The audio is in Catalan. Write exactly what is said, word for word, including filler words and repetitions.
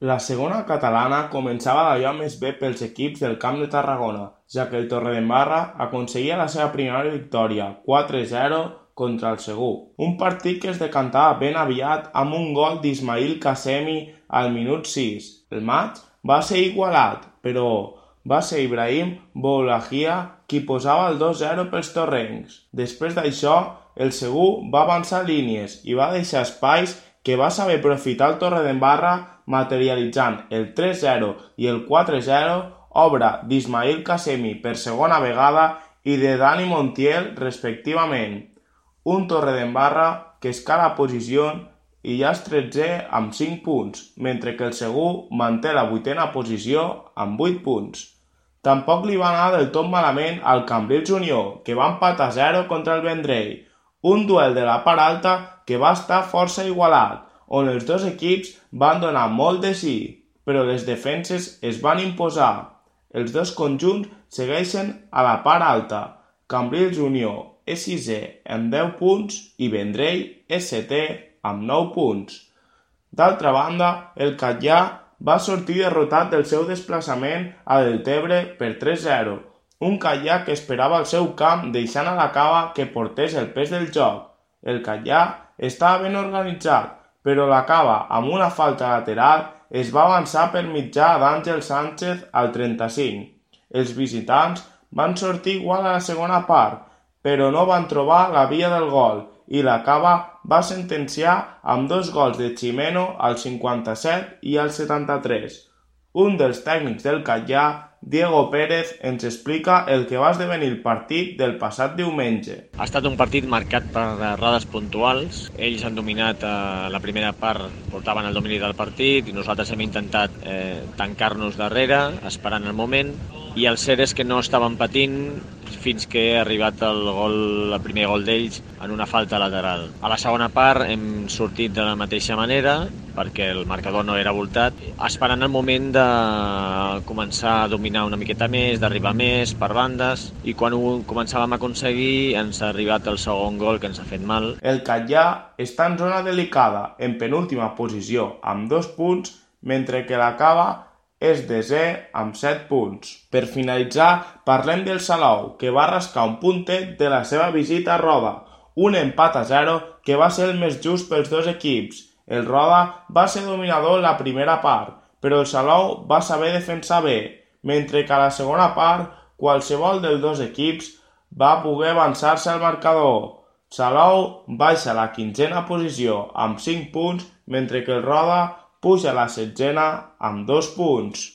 La segona catalana començava d'allò més bé pels equips del Camp de Tarragona, ja que el Torredembarra aconseguia la seva primera victòria, quatre zero, contra el Segur. Un partit que es decantava ben aviat amb un gol d'Ismail Qassemi al minut sis. El maig va ser igualat, però va ser Ibrahim Boulahia qui posava el dos zero pels torrencs. Després d'això, el Segur va avançar línies i va deixar espais que va saber aprofitar el Torredembarra materialitzant el tres zero i el quatre zero, obra d'Ismail Qassemi per segona vegada i de Dani Montiel respectivament. Un Torredembarra que escala posició i ja és tretzè amb cinc punts, mentre que el Segur manté la vuitena posició amb vuit punts. Tampoc li va anar del tot malament al Cambrils Unió, que va empatar a zero contra el Vendrell, un duel de la part alta que va estar força igualat, on els dos equips van donar molt de sí, però les defenses es van imposar. Els dos conjunts segueixen a la part alta. Cambrils Unió és sisè amb deu punts i Vendrell és setè amb nou punts. D'altra banda, el Catllà va sortir derrotat del seu desplaçament a Deltebre per tres zero, un Catllà que esperava al seu camp deixant a la cava que portés el pes del joc. El Catllà estava ben organitzat, però la cava, amb una falta lateral, es va avançar per mitjà d'Àngel Sánchez al trenta-cinc. Els visitants van sortir igual a la segona part, però no van trobar la via del gol i la cava va sentenciar amb dos gols de Ximeno al cinquanta-set i al setanta-tres. Un dels tècnics del Catllà, Diego Pérez, ens explica el que va esdevenir el partit del passat diumenge. Ha estat un partit marcat per errades puntuals. Ells han dominat eh, la primera part, portaven el domini del partit i nosaltres hem intentat eh, tancar-nos darrere, esperant el moment, i el cert és que no estaven patint fins que ha arribat el, gol, el primer gol d'ells en una falta lateral. A la segona part hem sortit de la mateixa manera perquè el marcador no era voltat, esperant el moment de començar a dominar una miqueta més, d'arribar més per bandes, i quan ho començàvem a aconseguir ens ha arribat el segon gol que ens ha fet mal. El Catllà està en zona delicada, en penúltima posició, amb dos punts, mentre que la cava és desè amb set punts. Per finalitzar, parlem del Salou, que va rascar un puntet de la seva visita a Roda, un empat a zero que va ser el més just pels dos equips. El Roda va ser dominador en la primera part, però el Salou va saber defensar bé, mentre que a la segona part qualsevol dels dos equips va poder avançar-se al marcador. Salou baixa a la quinzena posició amb cinc punts, mentre que el Roda puja a la setzena amb dos punts.